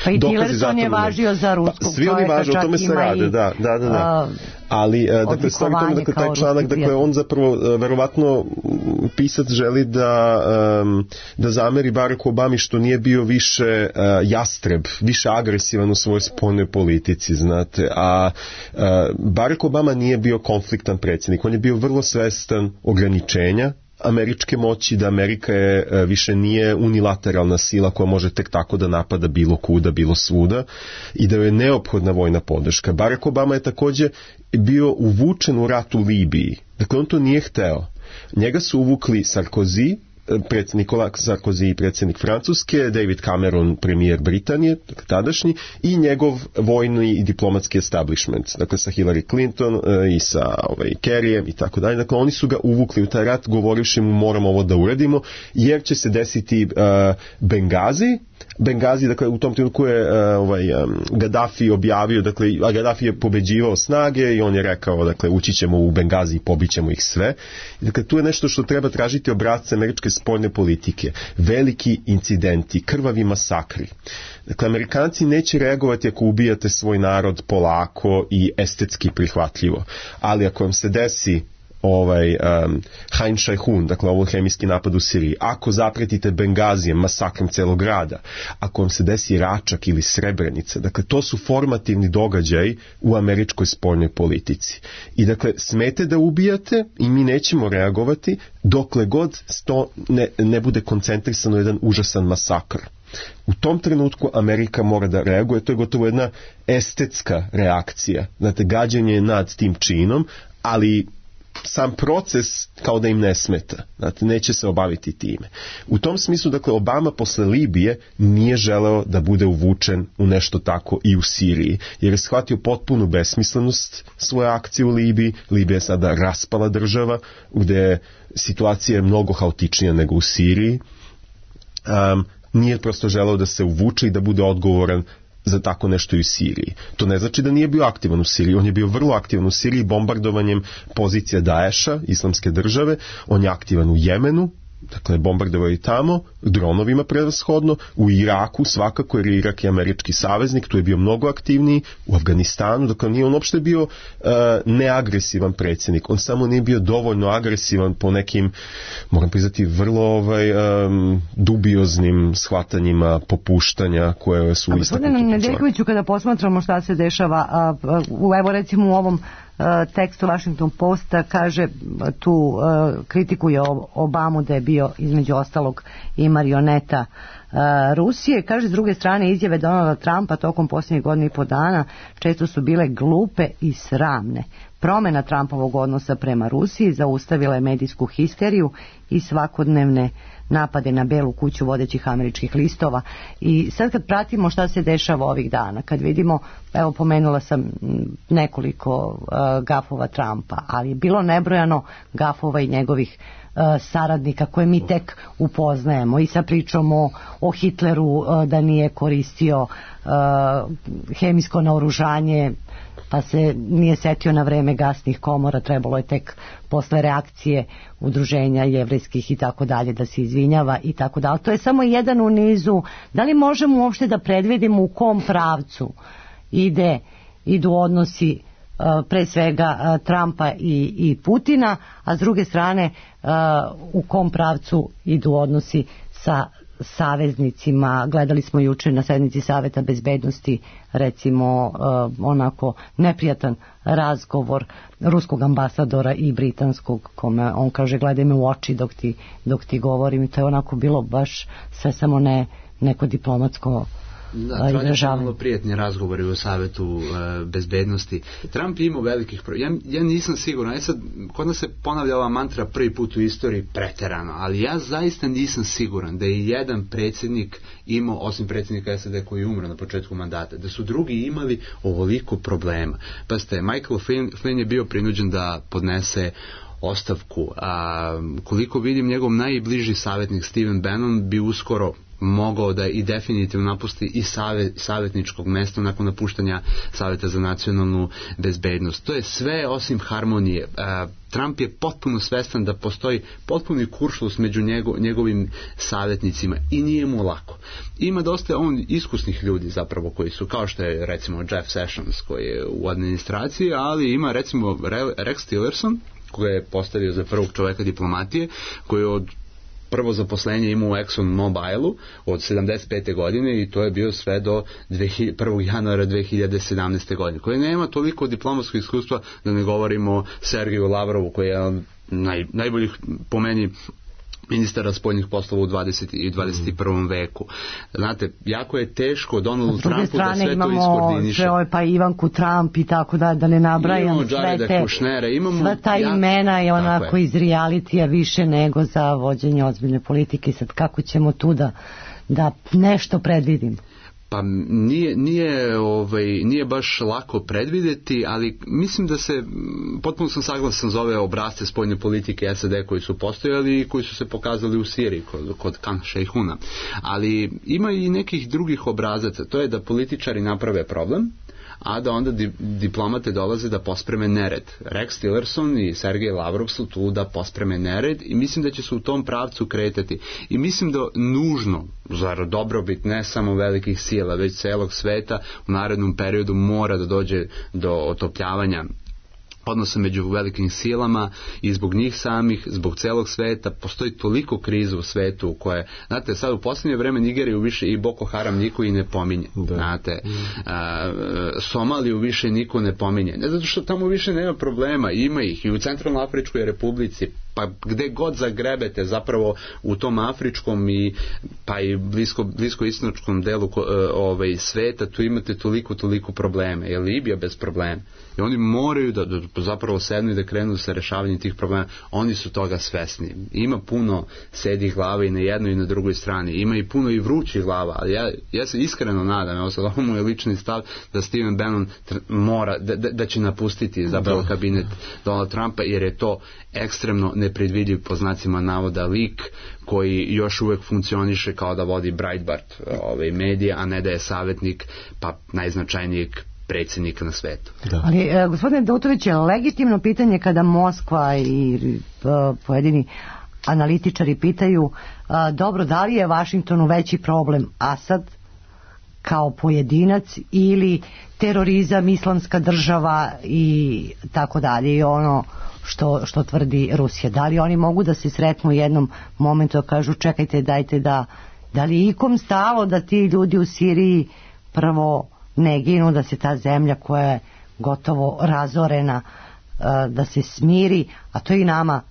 pa i Tillerson je važio za ruskog svi oni važe, o tome se rade, da. Ali, dakle, stavi tome, dakle, taj članak, dakle, on zapravo, verovatno, pisac želi da zameri Baracku Obami što nije bio više jastreb, više agresivan u svojoj spoljnoj politici, znate, a Barack Obama nije bio konfliktan predsjednik, on je bio vrlo svestan ograničenja američke moći, da Amerika više nije unilateralna sila koja može tek tako da napada bilo kuda, bilo svuda i da je neophodna vojna podrška. Barack Obama je također bio uvučen u rat u Libiji. Dakle, on to nije hteo. Njega su uvukli Sarkozy, Nicolas Sarkozy, predsjednik Francuske, David Cameron, premijer Britanije, dakle, tadašnji, i njegov vojni i diplomatski establishment, dakle sa Hillary Clinton i sa Kerryjem i tako dalje. Dakle, oni su ga uvukli u taj rat govorivši mu moramo ovo da uradimo, jer će se desiti Bengazi, dakle, u tom trenutku je Gaddafi objavio, dakle, a Gaddafi je pobeđivao snage i on je rekao, dakle, ući ćemo u Bengazi i pobićemo ih sve. Dakle, tu je nešto što treba tražiti obrazce američke spoljne politike. Veliki incidenti, krvavi masakri. Dakle, Amerikanci neće reagovati ako ubijate svoj narod polako i estetski prihvatljivo. Ali ako vam se desi Hain Šajhun, dakle ovo hemijski napad u Siriji, ako zapretite Bengazijem, masakrom celog grada, ako vam se desi Račak ili Srebrenica, dakle to su formativni događaji u američkoj spoljnoj politici. I dakle, smete da ubijate i mi nećemo reagovati dokle god to ne bude koncentrisano jedan užasan masakr. U tom trenutku Amerika mora da reaguje, to je gotovo jedna estetska reakcija, znate, gađenje nad tim činom, ali sam proces kao da im ne smeta, znate, neće se obaviti time. U tom smislu, dakle, Obama posle Libije nije želeo da bude uvučen u nešto tako i u Siriji, jer je shvatio potpunu besmislenost svoje akcije u Libiji. Libija je sada raspala država, gde situacija je mnogo haotičnija nego u Siriji. Nije prosto želeo da se uvuče i da bude odgovoran za tako nešto i u Siriji. To ne znači da nije bio aktivan u Siriji. On je bio vrlo aktivan u Siriji bombardovanjem pozicija Daesha, islamske države. On je aktivan u Jemenu, dakle bombardovao i tamo, dronovima prevashodno, u Iraku svakako, jer Irak je američki saveznik, tu je bio mnogo aktivniji, u Afganistanu, dakle nije on uopšte bio neagresivan predsjednik, on samo nije bio dovoljno agresivan po nekim, moram priznati, vrlo dubioznim shvatanjima popuštanja koje su istaknuti. Gospodine Nedeljkoviću, kada posmatramo šta se dešava, evo recimo u ovom tekstu Washington Posta kaže, tu kritikuje Obamu da je bio između ostalog i marioneta Rusije. Kaže, s druge strane, izjave Donalda Trumpa tokom posljednjih godina i po dana često su bile glupe i sramne. Promjena Trumpovog odnosa prema Rusiji zaustavila je medijsku histeriju i svakodnevne napade na Belu kuću vodećih američkih listova. I sad kad pratimo šta se dešava ovih dana, kad vidimo, evo pomenula sam nekoliko gafova Trumpa, ali je bilo nebrojano gafova i njegovih saradnika koje mi tek upoznajemo, i sa pričom o Hitleru da nije koristio hemijsko naoružanje, pa se nije setio na vreme gasnih komora, trebalo je tek posle reakcije udruženja jevrejskih i tako dalje da se izvinjava i tako dalje. To je samo jedan u nizu. Da li možemo uopšte da predvidimo u kom pravcu idu odnosi pre svega Trumpa i Putina, a s druge strane u kom pravcu idu odnosi sa saveznicima? Gledali smo juče na sednici Saveta bezbednosti recimo onako neprijatan razgovor ruskog ambasadora i britanskog, kome on kaže gledaj me u oči dok ti govorim, i to je onako bilo baš sve samo ne neko diplomatsko tradicionalno prijatni razgovori u Savetu bezbednosti. Trump je imao velikih ja nisam siguran, sad kod nas se ponavlja ova mantra prvi put u istoriji preterano, ali ja zaista nisam siguran da je jedan predsjednik imao, osim predsjednika SAD koji je umro na početku mandata, da su drugi imali ovoliko problema. Pa Michael Flynn je bio prinuđen da podnese ostavku. Koliko vidim, njegov najbliži savjetnik Stephen Bannon bi uskoro mogao da i definitivno napusti i savjetničkog mesta nakon napuštanja Savjeta za nacionalnu bezbednost. To je sve osim harmonije. Trump je potpuno svestan da postoji potpuni kuršlus među njegovim savjetnicima i nije mu lako. Ima dosta iskusnih ljudi zapravo koji su, kao što je recimo Jeff Sessions koji je u administraciji, ali ima recimo Rex Tillerson koga je postavio za prvog čoveka diplomatije, koji je od prvo zaposlenje imao u Exxon Mobilu od 75. godine i to je bio sve do 1. januara 2017. godine, koji nema toliko diplomatskog iskustva, da ne govorimo o Sergeju Lavrovu koji je najboljih po meni ministara spoljnih poslova u 20. i 21. veku. Znate, jako je teško Donaldu Trumpu da sve to iskoordiniše. Imamo pa Ivanku Trump i tako da ne nabrajam sva ta imena je onako iz realitija više nego za vođenje ozbiljne politike. Sad kako ćemo tu da nešto predvidim? Pa nije baš lako predvidjeti, ali mislim da potpuno sam saglasan za ove obrazce spoljne politike SAD koji su postojali i koji su se pokazali u Siriji kod Khan Šejhuna. Ali ima i nekih drugih obrazaca, to je da političari naprave problem, a da onda diplomate dolaze da pospreme nered. Rex Tillerson i Sergej Lavrov su tu da pospreme nered i mislim da će se u tom pravcu kretati. I mislim da nužno, za dobrobit ne samo velikih sila, već celog sveta, u narednom periodu mora da dođe do otopljavanja odnosa među velikim silama i zbog njih samih, zbog celog sveta. Postoji toliko kriza u svetu koje, znate, sad u posljednje vreme Nigeriju više i Boko Haram niko i ne pominje. Znate, Somaliju više niko ne pominje. Ne zato što tamo više nema problema, ima ih i u Centralnoafričkoj republici, pa gde god zagrebete zapravo u tom afričkom pa i bliskoistočnom delu sveta, tu imate toliko probleme. Je Libija bez problema? I oni moraju da zapravo sednu i da krenu sa rešavanjem tih problema. Oni su toga svesni. Ima puno sedih glava i na jednoj i na drugoj strani. Ima i puno i vrućih glava, ali ja se iskreno nadam, evo sad ovo mu je lični stav, da Stephen Bannon mora, da će napustiti zapravo kabinet Donald Trumpa, jer je to ekstremno nepredvidljiv, po znacima navoda, lik koji još uvek funkcioniše kao da vodi Breitbart medija, a ne da je savjetnik pa najznačajnijeg predsjednika na svetu. Ali, gospodine Dautović, je legitimno pitanje kada Moskva i pojedini analitičari pitaju dobro, da li je Vašingtonu veći problem Asad kao pojedinac ili terorizam, islamska država i tako dalje, i ono što tvrdi Rusija. Da li oni mogu da se sretnu u jednom momentu da kažu čekajte, dajte da li je ikom stalo da ti ljudi u Siriji prvo ne ginu, da se ta zemlja koja je gotovo razorena da se smiri, a to i nama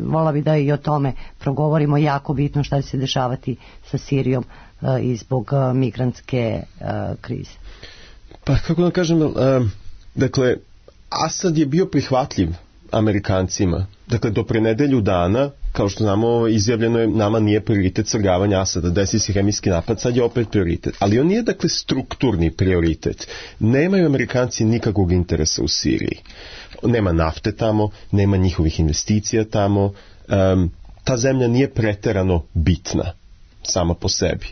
vola bi da i o tome progovorimo, jako bitno šta će se dešavati sa Sirijom i zbog migrantske krize. Pa kako da kažem, dakle Asad je bio prihvatljiv Amerikancima. Dakle, do pre nedelju dana, kao što znamo, izjavljeno je nama nije prioritet svrgavanja Asada, desi se hemijski napad, sad je opet prioritet. Ali on nije, dakle, strukturni prioritet. Nemaju Amerikanci nikakvog interesa u Siriji. Nema nafte tamo, nema njihovih investicija tamo. Ta zemlja nije preterano bitna sama po sebi.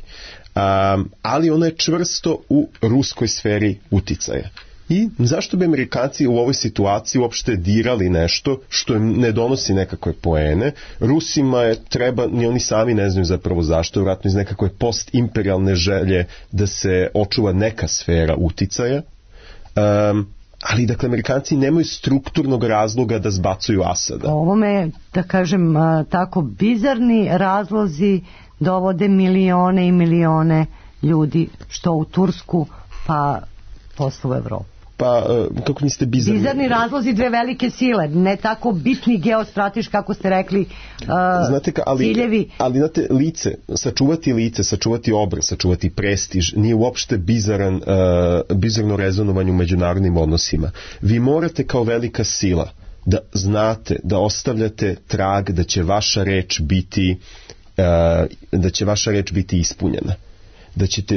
Ali ona je čvrsto u ruskoj sferi uticaja. I zašto bi Amerikanci u ovoj situaciji uopšte dirali nešto što im ne donosi nekakve poene? Rusima treba, ni oni sami ne znaju zapravo zašto, vjerojatno iz nekakve postimperijalne želje da se očuva neka sfera uticaja. Ali, dakle, Amerikanci nemaju strukturnog razloga da zbacuju Asada. Ovome, da kažem, tako bizarni razlozi dovode milione i milione ljudi, što u Tursku, pa posle u Evropu. Pa, kako niste bizarni? Bizarni razlozi dve velike sile, ne tako bitni geostrateški, kako ste rekli, znate ciljevi. Ali znate, lice, sačuvati obraz, sačuvati prestiž, nije uopšte bizarno rezonovanje u međunarodnim odnosima. Vi morate kao velika sila da znate, da ostavljate trag da će vaša reč biti ispunjena.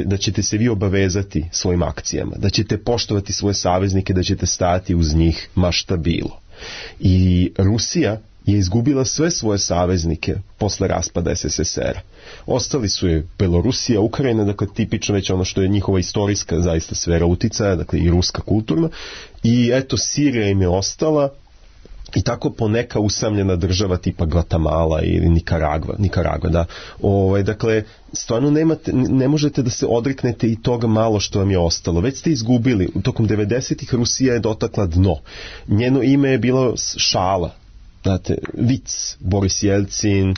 Da ćete se vi obavezati svojim akcijama, da ćete poštovati svoje saveznike, da ćete stajati uz njih ma šta bilo. I Rusija je izgubila sve svoje saveznike posle raspada SSSR-a. Ostali su je Belorusija, Ukrajina, dakle tipično već ono što je njihova istorijska zaista sfera uticaja, dakle i ruska kulturna, i eto Sirija im je ostala, i tako poneka usamljena država tipa Gvatemala ili Nikaragva, da. Dakle, stvarno ne možete da se odreknete i toga malo što vam je ostalo. Već ste izgubili. Tokom 90-ih Rusija je dotakla dno. Njeno ime je bilo šala. Znate, vic, Boris Jelcin,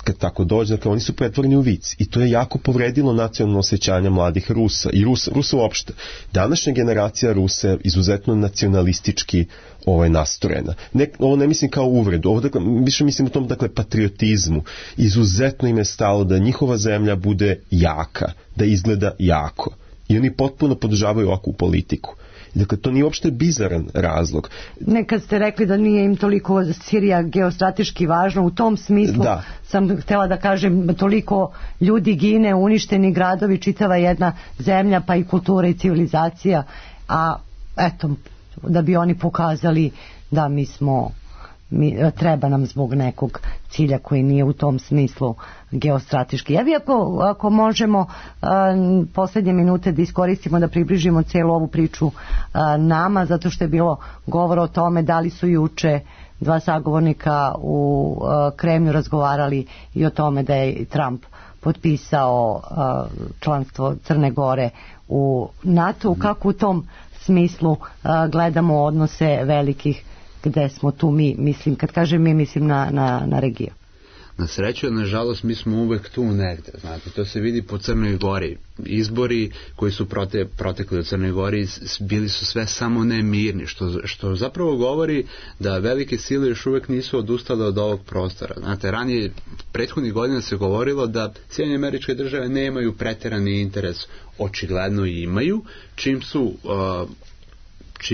kad tako dođe, dakle, oni su pretvoreni u vic. I to je jako povredilo nacionalno osjećanje mladih Rusa. I Rusa uopšte. Današnja generacija Rusa je izuzetno nacionalistički nastrojena. Ovo ne mislim kao uvredu, ovo dakle, više mislim o tom patriotizmu. Izuzetno im je stalo da njihova zemlja bude jaka, da izgleda jako. I oni potpuno podržavaju ovakvu politiku. Dakle, to nije uopšte bizaran razlog. Nekad ste rekli da nije im toliko Sirija geostrateški važna, u tom smislu sam htjela da kažem, toliko ljudi gine, uništeni gradovi, čitava jedna zemlja, pa i kultura i civilizacija, a eto, da bi oni pokazali da treba nam zbog nekog cilja koji nije u tom smislu geostrateški. Ja bi ako možemo posljednje minute da iskoristimo da približimo cijelu ovu priču nama, zato što je bilo govora o tome da li su juče dva sagovornika u Kremlju razgovarali i o tome da je Trump potpisao članstvo Crne Gore u NATO, kako u tom smislu gledamo odnose velikih, gde smo tu mi, mislim, kad kažem mi, mislim na regiju. Na sreću, nažalost, mi smo uvek tu negde, znate, to se vidi po Crnoj Gori. Izbori koji su protekli u Crnoj Gori bili su sve samo ne mirni, što zapravo govori da velike sile još uvek nisu odustale od ovog prostora. Znate, ranije, prethodnih godina se govorilo da Sjedinjene Američke Države nemaju preterani interes, očigledno imaju, čim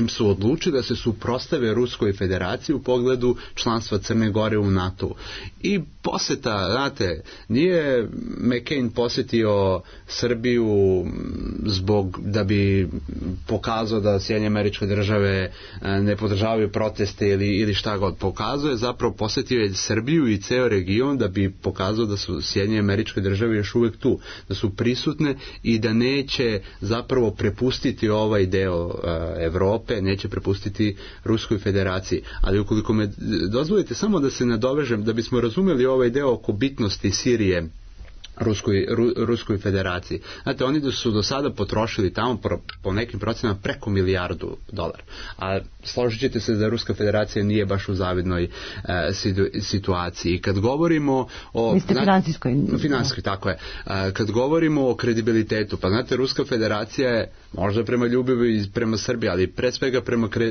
su odlučili da se suprotstave Ruskoj federaciji u pogledu članstva Crne Gore u NATO. I poseta, znate, nije McCain posetio Srbiju da bi pokazao da Sjedinjene Američke Države ne podržavaju proteste ili šta god. Pokazao je, zapravo posetio je Srbiju i ceo region da bi pokazao da su Sjedinjene Američke Države još uvek tu, da su prisutne i da neće zapravo prepustiti ovaj deo Evrope, neće prepustiti Ruskoj federaciji. Ali ukoliko me dozvolite samo da se nadovežem, da bismo razumeli ovaj deo oko bitnosti Sirije Ruskoj federaciji. Znate, oni su do sada potrošili tamo po nekim procenama preko $1 milijardu. A složit ćete se da Ruska federacija nije baš u zavidnoj situaciji. I kad govorimo o... Finansijskoj, tako je. Kad govorimo o kredibilitetu, pa znate, Ruska federacija je možda prema ljubavi prema Srbiji, ali pre svega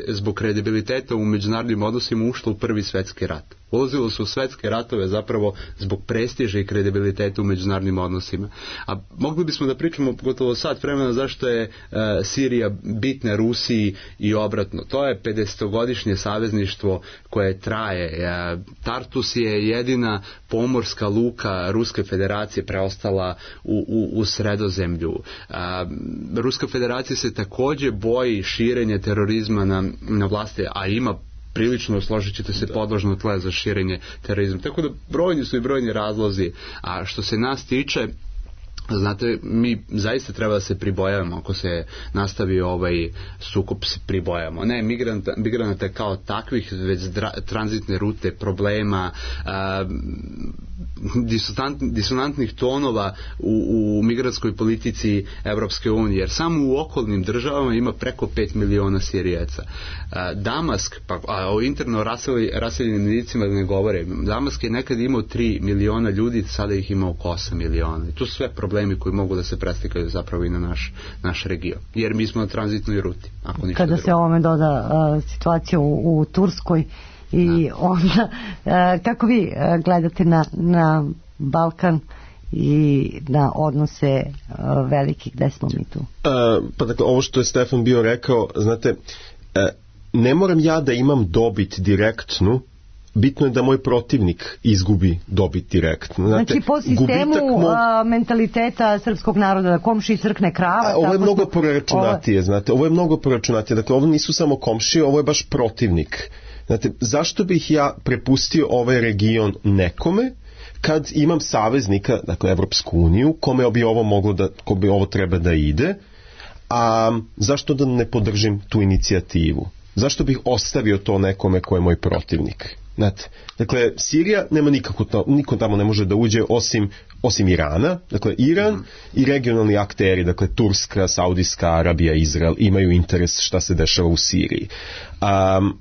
zbog kredibiliteta u međunarodnim odnosima ušla u Prvi svetski rat. Ulazilo su u svetske ratove zapravo zbog prestiža i kredibiliteta u međunarodnim odnosima. A mogli bismo da pričamo gotovo sat vremena zašto je Sirija bitna Rusiji i obratno. To je 50-godišnje savezništvo koje traje. Tartus je jedina pomorska luka Ruske federacije preostala u Sredozemlju. Ruska federacija se takođe boji širenja terorizma na vlasti, a ima prilično, složit ćete se, podložno tle za širenje terorizma. Tako da brojni su i brojni razlozi. A što se nas tiče, znate, mi zaista treba da se pribojavamo ako se nastavi ovaj sukob, se pribojavamo. Ne migranata kao takvih, već tranzitne rute, problema, disonantnih tonova u migrantskoj politici Evropske unije, jer samo u okolnim državama ima preko 5 miliona Sirijaca. Damask, pa o interno raseljenim licima da ne govore, Damask je nekad imao 3 miliona ljudi, sada ih ima oko 8 miliona. I to su sve problemi koji mogu da se preslikaju zapravo i na naš region, jer mi smo na tranzitnoj ruti. Kada se ovome doda situacija u Turskoj i onda kako vi gledate na Balkan i na odnose velikih, gde smo mi tu? Pa dakle, ovo što je Stefan bio rekao, znate, ne moram ja da imam dobit direktnu, bitno je da moj protivnik izgubi dobit direktno. Znate, znači po sistemu mentaliteta srpskog naroda da komši crkne krava. Ovo je mnogo proračunatije, znate, ovo je mnogo proračunatije, dakle ovo nisu samo komšije, ovo je baš protivnik. Znate, zašto bih ja prepustio ovaj region nekome kad imam saveznika, dakle Evropsku uniju, kome bi ovo moglo da, kome bi ovo treba da ide, a zašto da ne podržim tu inicijativu? Zašto bih ostavio to nekome ko je moj protivnik? Znate, dakle, Sirija nema niko tamo ne može da uđe osim Irana. Dakle, Iran i regionalni akteri, dakle, Turska, Saudijska Arabija, Izrael, imaju interes šta se dešava u Siriji.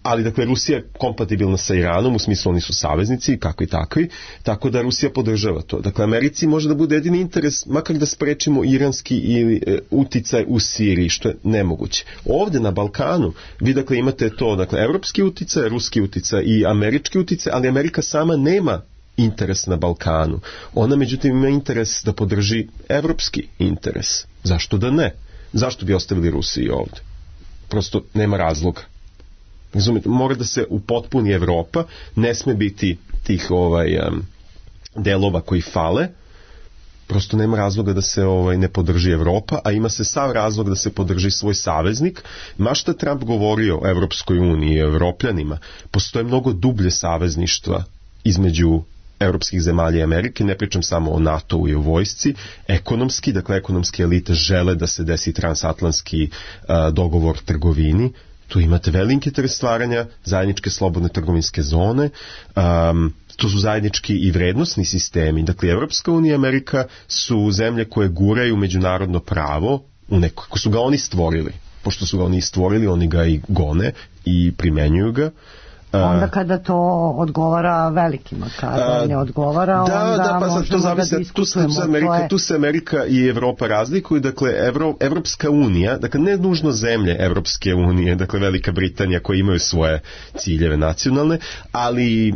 Ali, dakle, Rusija je kompatibilna sa Iranom, u smislu oni su saveznici, kakvi takvi, tako da Rusija podržava to. Dakle, Americi može da bude jedini interes, makar da sprečimo iranski ili uticaj u Siriji, što je nemoguće. Ovde na Balkanu, vi, dakle, imate to, dakle, evropski uticaj, ruski uticaj i američki uticaj, ali Amerika sama nema interes na Balkanu. Ona, međutim, ima interes da podrži evropski interes. Zašto da ne? Zašto bi ostavili Rusiji ovde? Prosto nema razloga. Razumite, mora da se upotpuni Evropa, ne sme biti tih delova koji fale, prosto nema razloga da se ne podrži Evropa, a ima se sav razlog da se podrži svoj saveznik. Ma šta Trump govorio o Evropskoj uniji i Evropljanima, postoje mnogo dublje savezništva između evropskih zemalja i Amerike, ne pričam samo o NATO-u i o vojsci, ekonomski, dakle ekonomske elite žele da se desi transatlantski dogovor trgovini, tu imate veliki interes stvaranja zajedničke slobodne trgovinske zone, to su zajednički i vrednosni sistemi. Dakle, Evropska unija i Amerika su zemlje koje guraju međunarodno pravo u neko, ko su ga oni stvorili. Pošto su ga oni stvorili, oni ga i gone i primenjuju ga. Onda kada to odgovara velikima, kada ne odgovara, onda možemo da diskutujemo. Tu se Amerika i Evropa razlikuju, dakle Evropska unija, dakle ne nužno zemlje Evropske unije, dakle Velika Britanija koje imaju svoje ciljeve nacionalne, ali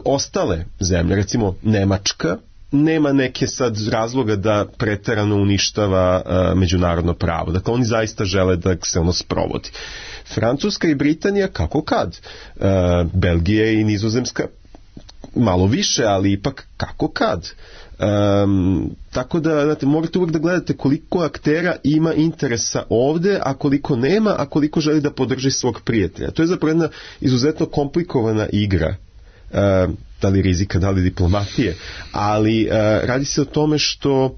ostale zemlje, recimo Nemačka, nema neke sad razloga da preterano uništava međunarodno pravo. Dakle, oni zaista žele da se ono sprovodi. Francuska i Britanija kako kad. Belgija i Nizozemska malo više, ali ipak kako kad. Tako da, znate, morate uvijek da gledate koliko aktera ima interesa ovde, a koliko nema, a koliko želi da podrži svog prijatelja. To je zapravo jedna izuzetno komplikovana igra. Da li rizika, da li diplomatije, ali radi se o tome što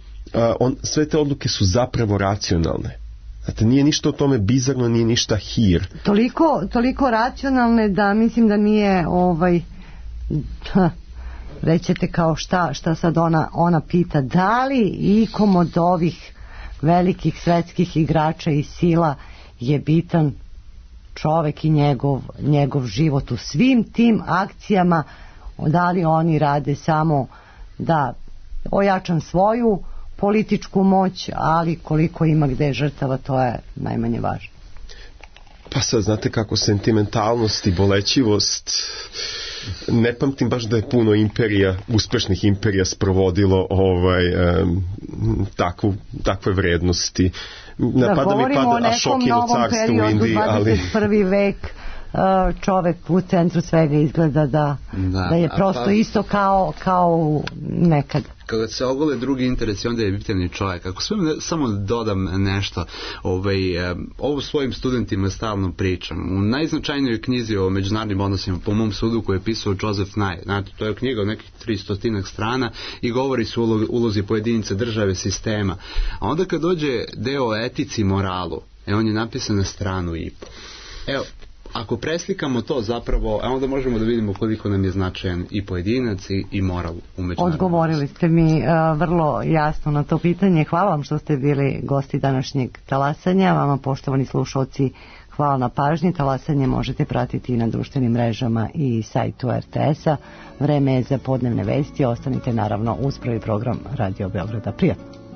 sve te odluke su zapravo racionalne. Znate, nije ništa o tome bizarno, nije ništa hir. Toliko racionalne da mislim da nije rećete kao šta sad ona pita, da li ikom od ovih velikih svetskih igrača i sila je bitan čovek i njegov život u svim tim akcijama, da li oni rade samo da ojačam svoju političku moć, ali koliko ima gde žrtava, to je najmanje važno. Pa sad znate kako sentimentalnost i bolećivost, ne pamtim baš da je puno imperija, uspešnih imperija sprovodilo takve vrednosti. Napada mi pada Ašokino carstvo u Indiji, ali 21. vek čovek u centru svega izgleda da je prosto isto kao nekad. Kada se ogole drugi interesi, onda je bitan čovjek. Ako samo dodam nešto, ovo svojim studentima stalno pričam. U najznačajnijoj knjizi o međunarodnim odnosima, po mom sudu, koju je pisao Joseph Nye, znate, to je knjiga od nekih 300 strana i govori se o ulozi pojedinice, države, sistema. A onda kad dođe deo o etici i moralu, on je napisan na stranu i po. Evo, ako preslikamo to zapravo, onda možemo da vidimo koliko nam je značajan i pojedinac i moral u međunarodnom. Odgovorili ste mi vrlo jasno na to pitanje. Hvala vam što ste bili gosti današnjeg talasanja. Vama, poštovani slušalci, hvala na pažnji. Talasanje možete pratiti i na društvenim mrežama i sajtu RTS-a. Vreme je za podnevne vesti. Ostanite naravno uz prvi program Radio Beograda. Prijatno.